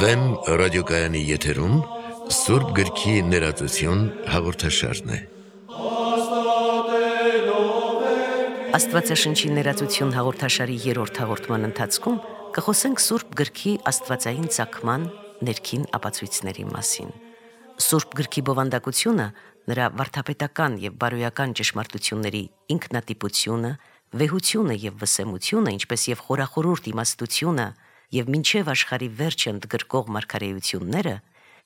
Վեմ ռադիոկայանի եթերում Սուրբ գրքի ներածություն հաղորդաշարն է։ Աստվածաշնչի ներածություն հաղորդաշարի 3-րդ հաղորդման ընթացքում կխոսենք Սուրբ գրքի աստվածային ծագման ներքին ապացույցների մասին։ Սուրբ գրքի բովանդակությունը նրա վարդապետական եւ բարոյական ճշմարտությունների ինքնատիպությունը, վեհությունը եւ վսեմությունը, ինչպես եւ խորախորուրդ իմաստությունը եւ մինչև աշխարհի վերջը ընդգրկող մարգարեությունները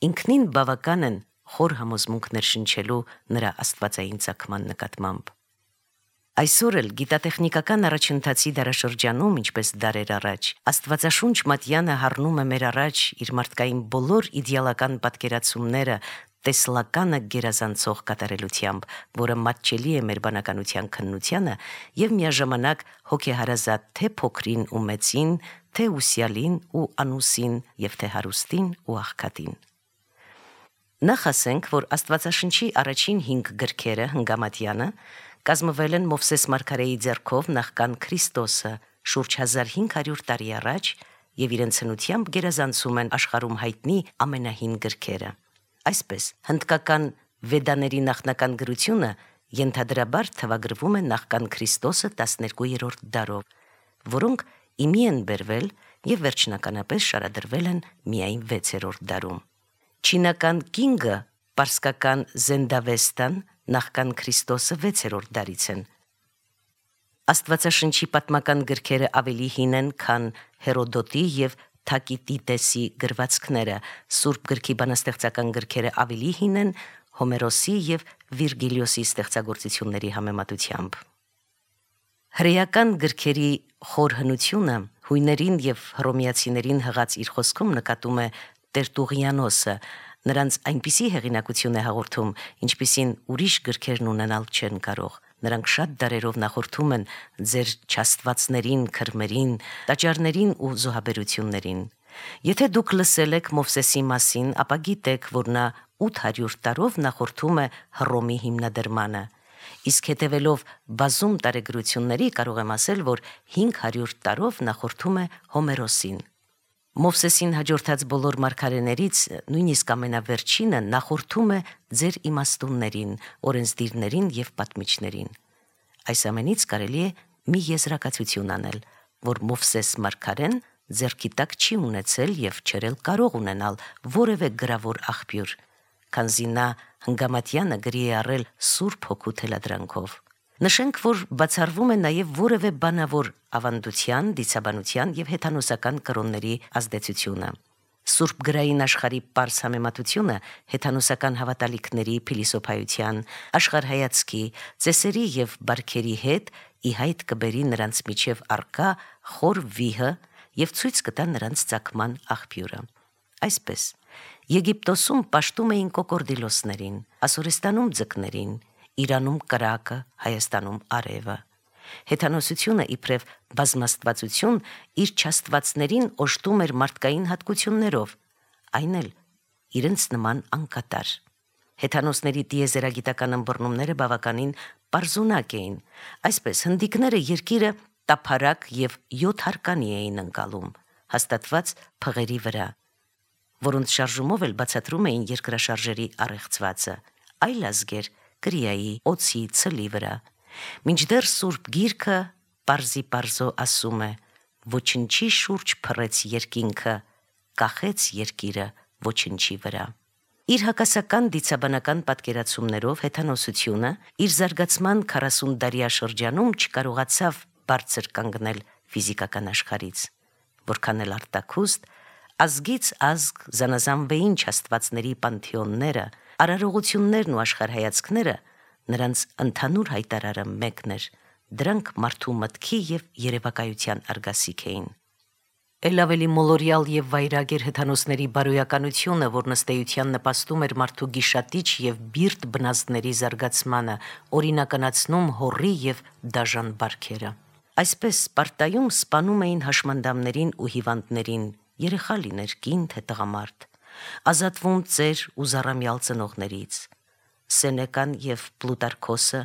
ինքնին բավական են խոր համոզմունքներ շնչելու նրա աստվածային ծագման նկատմամբ։ Այսօր էլ գիտատեխնիկական առաջընթացի դարաշրջանում, ինչպես դարեր առաջ, Աստվածաշունչ Մատյանը հառնում է մեր առաջ իր մարդկային բոլոր իդեալական պատկերացումները տեսլականը գերազանցող կատարելությամբ, որը մատչելի է մեր բանականության քննությանը եւ միաժամանակ հոգեհարազատ թե փոքրին ու մեծին, թե ուսյալին ու անուսին եւ թե հարուստին ու աղքատին։ Նախ ասենք, որ Աստվածաշնչի առաջին 5 գրքերը հնգամատյանը կազմվել են Մովսես մարգարեի ձեռքով նախքան Քրիստոսը շուրջ 1500 տարի առաջ եւ իրենց հնությամբ գերազանցում են աշխարհում հայտնի ամենահին գրքերը։ Այսպես, հնդկական վեդաների նախնական գրությունը ենթադրաբար թվագրվում է նախքան Քրիստոսը 12-րդ դարով, որոնք իմի են բերվել եւ վերջնականապես շարադրվել են միայն 6-րդ դարում։ Չինական Կինգը, պարսկական Զենդավեստան նախքան Քրիստոսը 6-րդ դարից են։ Աստվածաշնչի պատմական գրքերը ավելի հին են, քան Հերոդոտի եւ Թակիտիտեսի գրվածքները, Սուրբ գրքի բանաստեղծական գրքերը ավելի հին են Հոմերոսի եւ Վիրգիլիոսի ստեղծագործությունների համեմատությամբ։ Հրեական գրքերի խոր հնությունը հույներին եւ հռոմեացիներին հղած իր խոսքում նկատում է Տերտուղիանոսը, նրանց այնպիսի հեղինակություն է հաղորդում, ինչպիսին ուրիշ գրքերն ունենալ չեն կարող։ Նրանք շատ դարերով նախորդում են ձեր չաստվածներին, քրմերին, տաճարներին ու զոհաբերություններին։ Եթե դուք լսել եք Մովսեսի մասին, ապա գիտեք, որ նա 800 տարով նախորդում է Հռոմի հիմնադրմանը։ Իսկ հետևելով բազում տարեգրությունների կարող եմ ասել, որ 500 տարով նախորդում է Հոմերոսին։ Մովսեսին հաջորդած բոլոր մարգարեներից, նույնիսկ ամենավերջինը նախորդում է ձեր իմաստուններին, օրենսդիրներին եւ պատմիչներին։ Այս ամենից կարելի է մի եզրակացություն անել, որ Մովսես մարգարեն ձեռքի տակ չի ունեցել եւ չերել կարող ունենալ որևէ գրավոր աղբյուր, քանզի նա հնգամատյանը գրի է առել Սուրբ Հոգու թելադրանքով։ Նշենք, որ բացառվում է նաև որևէ բանավոր ավանդության, դիցաբանության եւ հեթանոսական կրոնների ազդեցությունը։ Սուրբ գրային աշխարհի պարզ համեմատությունը հեթանոսական հավատալիքների, փիլիսոփայության, աշխարհայացքի, ծեսերի եւ բարքերի հետ ի հայտ կբերի նրանց միջև առկա խոր վիհը եւ ցույց կտա նրանց ծագման աղբյուրը։ Այսպես, Եգիպտոսում պաշտում էին կոկորդիլոսներին, Ասորստանում ձկներին, Իրանում կրակը, Հայաստանում արևը։ Հեթանոսությունը իբրև բազմաստվածություն իր չաստվածներին օժտում էր մարդկային հատկություններով, այն էլ իրենց նման անկատար։ Հեթանոսների տիեզերագիտական ըմբռնումները բավականին պարզունակ էին։ Այսպես, հնդիկները երկիրը տափարակ եւ 7 հարկանի էին ընկալում, հաստատված փղերի վրա, որոնց շարժումով էլ բացատրում էին երկրաշարժերի առեղծվածը, այլ ազգեր կրիայի, օձի, ցլի վրա։ Մինչդեռ Սուրբ Գիրքը պարզի ասում է. ոչնչի շուրջ փռեց երկինքը, կախեց երկիրը ոչնչի վրա։ Իր հակասական դիցաբանական պատկերացումներով հեթանոսությունը իր զարգացման 40 դարյա շրջանում չկարողացավ բարձր կանգնել ֆիզիկական աշխարհից, որքան էլ արտաքուստ, ազգից ազգ զանազանվեին չաստվածների պանթեոնները, արարողություններն ու աշխարհայացքները, նրանց ընդհանուր հայտարարը մեկն էր, դրանք մարդու մտքի եւ երևակայության արգասիք էին։ Էլ ավելի մոլորյալ եւ վայրագ էր հեթանոսների բարոյականությունը, որ ըստ նպաստում էր մարդու գիշատիչ եւ բիրտ բնազդների զարգացմանը, օրինականացնում հոռի եւ դաժան բարքերը։ Այսպես Սպարտայում սպանում էին հաշմանդամներին ու հիվանդներին, երեխա լիներ, կին թե տղամարդ, ազատվում ծեր ու զառամյալ ծնողներից։ Սենեկան եւ Պլուտարքոսը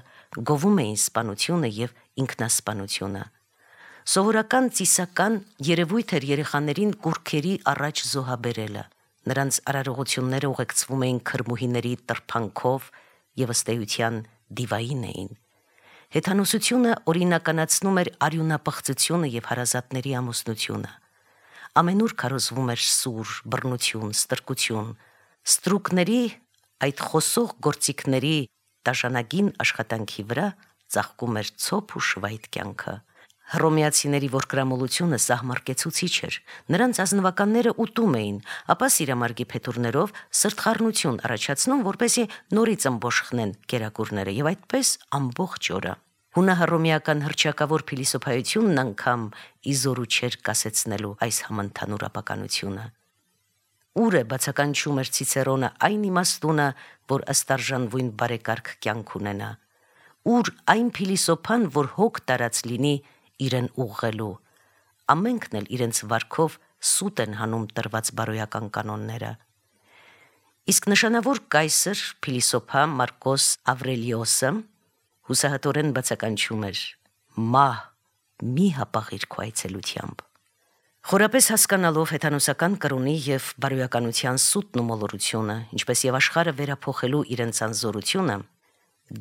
գովում էին սպանությունը եւ ինքնասպանությունը, Սովորական ծիսական երևույթ էր երեխաներին կուրքերի առաջ զոհաբերելը։ Նրանց արարողությունները ուղեկցվում էին քրմուհիների տրփանքով եւ ըստ էության դիվային էին։ Հեթանոսությունը օրինականացնում էր արյունապղծությունը եւ հարազատների ամուսնությունը։ Ամենուր քարոզվում էր սուր, բռնություն, ստրկություն, ստրուկների այդ խոսող գործիքների դաշանագին աշխատանքի վրա ծաղկում էր ցոփ ու շվայտ կյանքը։ Հռոմեացիների ворկրամոլությունը սահմարկեցուցիչ էր։ Նրանց ազնվականները ուտում էին, ապա սիրամարգի փետուրներով սրտխառնություն առաջացնում, որպեսզի նորից ըմբոշխնեն կերակուրները եւ այդպես ամբողջ օրը։ Հունահռոմեական հռչակավոր փիլիսոփայությունն անգամ իզորու չէր կասեցնելու այս համընդհանուր ապականությունը։ Ուր է բացականչում էր Ցիցերոնը այն իմաստունը, որ ըստ արժանվույն բարեկարգ կյանք ունենա։ Ուր այն փիլիսոփան, որ հոգ տարած լինի իրեն ուղղելու։ Ամենքն էլ իրենց վարքով սուտ են հանում տրված բարոյական կանոնները։ Իսկ նշանավոր կայսր փիլիսոփա Մարկոս Ավրելիոսը հուսահատորեն բացականչում էր. «Մահ, մի հապաղիր քո այցելությամբ»։ Խորապես հասկանալով հեթանոսական կրոնի եւ բարոյականության սուտն ու մոլորությունը, ինչպես եւ աշխարհը վերափոխելու իրենց անզորությունը,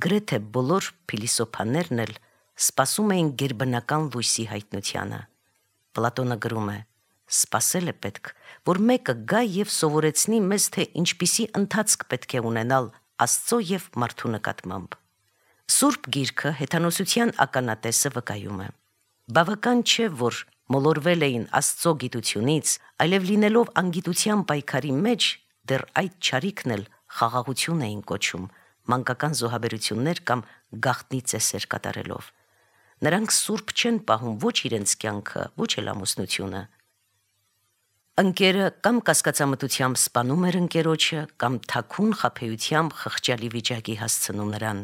գրեթե բոլոր փիլիսոփաներն էլ սպասում էին գերբնական լույսի հայտնությանը։ Պլատոնը գրում է. «Սպասել է պետք, որ մեկը գա եւ սովորեցնի մեզ, թե ինչպիսի ընթացք պետք է ունենալ Աստծո եւ մարդու նկատմամբ»։ Սուրբ Գիրքը հեթանոսության ականատեսը վկայում է. բավական չէ, որ մոլորվել էին Աստծո գիտությունից, այլև լինելով անգիտության պայքարի մեջ, դեռ այդ չարիքն էլ խաղաղություն էին կոչում, մանկական զոհաբերություններ կամ գաղտնի ծեսեր կատարելով։ Նրանք սուրբ չեն պահում ոչ իրենց կյանքը, ոչ էլ ամուսնությունը։ Ընկերը կամ կասկածամտությամբ սպանում էր ընկերոջը, կամ թաքուն խաբեությամբ խղճալի վիճակի հասցնում նրան։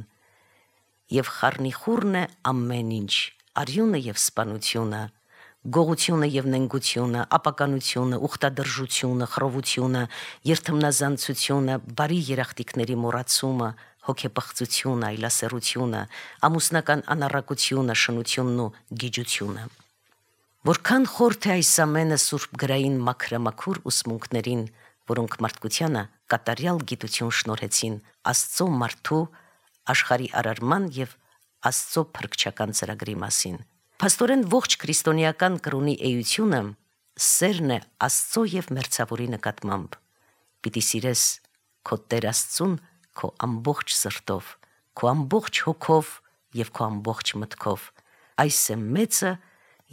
Եվ խառնիխուռն է ամեն ինչ, արյունը եւ սպանությունը, գողությունը եւ նենգությունը, ապականությունը, ուխտադրժությունը, խռովությունը, երթմնազանցությունը, բարի երախտիկների մոռացումը, հոգեպղծությունը, այլասերությունը, ամուսնական անառակությունը, շնությունն ու գիջությունը։ Որքան խորթ է այս ամենը սուրբ գրային մաքրամաքուր ուսմունքներին, որոնք մարդկությանը կատարյալ գիտություն շնորհեցին Աստծո մարդու աշխարհի արարման եւ Աստծո փրկչական ծրագրի մասին։ Փաստորեն ողջ քրիստոնեական կրոնի էությունը սերն է Աստծո եւ մերձավորի նկատմամբ։ Պիտի սիրես քո Տեր Աստծուն քո ամբողջ սրտով, քո ամբողջ հոգով եւ քո ամբողջ մտքով։ Այս է մեծը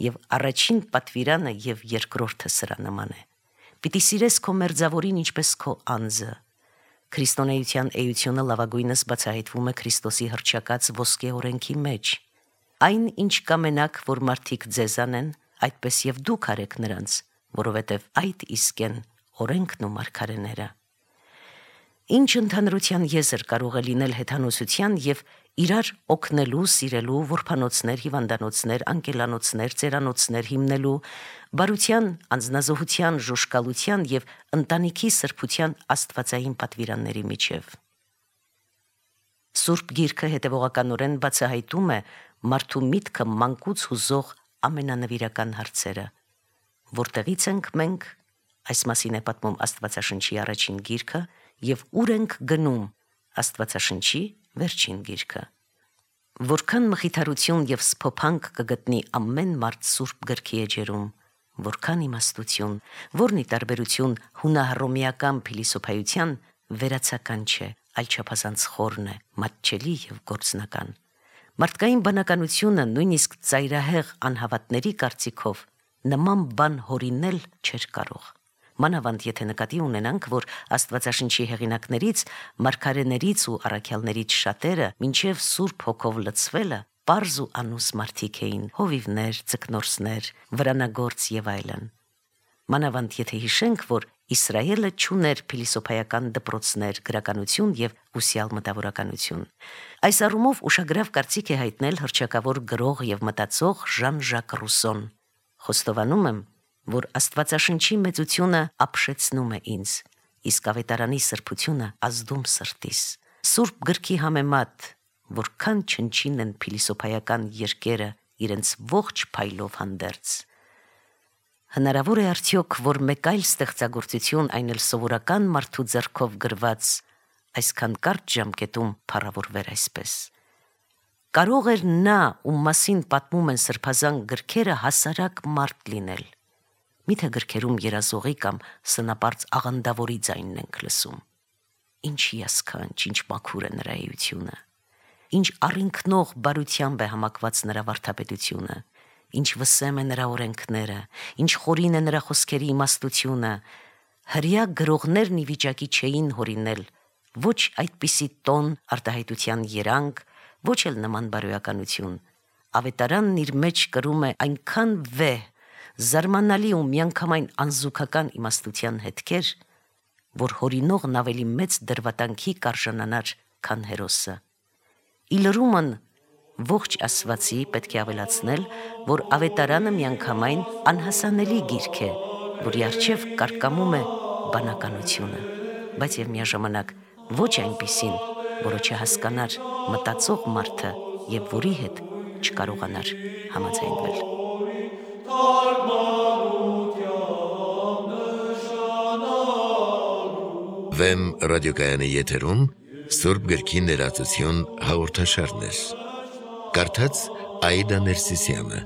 եւ առաջին պատվիրանը եւ երկրորդը սրա նման է։ Պիտի սիրես քո մերձավորին ինչպես քո անձը։ Քրիստոնեության էությունը լավագույնս բացահայտվում է Քրիստոսի հռչակած ոսկե օրենքի մեջ։ Այն, ինչ կամենաք, որ մարդիկ ձեզ անեն, այդպես եւ դուք արեք նրանց, որովհետեւ այդ իսկ են օրենքն ու մարգարեները։ Ինչ ընդհանրության եզր կարող է լինել հեթանոսության եւ իրար օգնելու, սիրելու, որբանոցներ, հիվանդանոցներ, անկելանոցներ, ծերանոցներ հիմնելու, բարության, անձնազոհության, ժուշկալության եւ ընտանիքի սրբության աստվածային պատվիրանների միջև։ Սուրբ Գիրքը հետևողականորեն բացահայտում է մարդու միտքը մանկուց հուզող ամենանվիրական հարցերը։ Որտեղից ենք մենք, այս մասին է պատմում Աստվածաշնչի առաջին գիրքը, եւ ուր ենք գնում, Աստվածաշնչի վերջին գիրքը։ Որքան մխիթարություն եւ սփոփանք կգտնի ամեն մարդ Սուրբ Գրքի էջերում, որքան իմաստություն, որն ի տարբերություն հունահռոմեական փիլիսոփայության վերացական չէ, այլ չափազանց խորն է, մատչելի եւ գործնական։ Մարդկային բանականությունը նույնիսկ ծայրահեղ անհավատների կարծիքով նման բան հորինել չէր կարող։ Մանավանդ եթե նկատի ունենանք, որ Աստվածաշնչի հեղինակներից, մարգարեներից ու առաքյալներից շատերը մինչև Սուրբ Հոգով լցվելը պարզ ու անուս մարդիկ էին, հովիվներ, ձկնորսներ, վրանագործ եւ այլն։ Մանավանդ եթե հիշենք, որ Իսրայելը չուներ փիլիսոփայական դպրոցներ, գրականություն եւ ուսյալ մտավորականություն։ Այս առումով ուշագրավ կարծիք է հայտնել հռչակավոր գրող եւ մտածող Ժան-Ժակ Ռուսոն։ Խոստովանում եմ, որ Աստվածաշնչի մեծությունը ապշեցնում է ինձ, իսկ ավետարանի սրբությունը ազդում սրտիս։ Սուրբ Գրքի համեմատ որքան չնչին են փիլիսոփայական երկերը իրենց ողջ փայլով հանդերձ։ Հնարավոր է արդյոք, որ մեկ այլ ստեղծագործություն, այն էլ սովորական մարդու ձեռքով գրված, այսքան կարճ ժամկետում փառավորվեր այսպես։ Կարող էր նա, ում մասին պատմում են սրբազան գրքերը, հասարակ մարդ լինել։ Միթե գրքերում երազողի կամ սնապարծ աղանդավորի ձայնն ենք լսում։ Ինչ հիասքանչ, ինչ մաքուր է նրա էությունը, ինչ առինքնող բարությամբ է համակված նրա վարդապետությունը, ինչ վսեմ է նրա օրենքները, ինչ խորին է նրա խոսքերի իմաստությունը։ Հրյա գրողներն ի վիճակի չէին հորինել ոչ այդպիսի տոն, արտահայտության երանգ, ոչ էլ նման բարոյականություն։ Ավետարանն իր մեջ կրում է այնքան վեհ, զարմանալի ու միանգամայն անզուգական իմաստության հետքեր, որ հորինողն ավելի մեծ դրվատանքի կարժանանար, քան հերոսը։ Ի լրումն ողջ ասվածի պետք է ավելացնել, որ ավետարանը միանգամայն անհասանելի գիրք է, որի առջև կարկամում է բանականությունը, բայց և միաժամանակ ոչ այնպիսին, որը չհասկանար մտածող մարդը և որի հետ չկարողանար համաձայնվել։ Վեմ ռադիոկայանի եթերում Սուրբ գրքի ներածություն հաղորդաշարներ։ Կարդաց Աիդա Ներսիսյանը։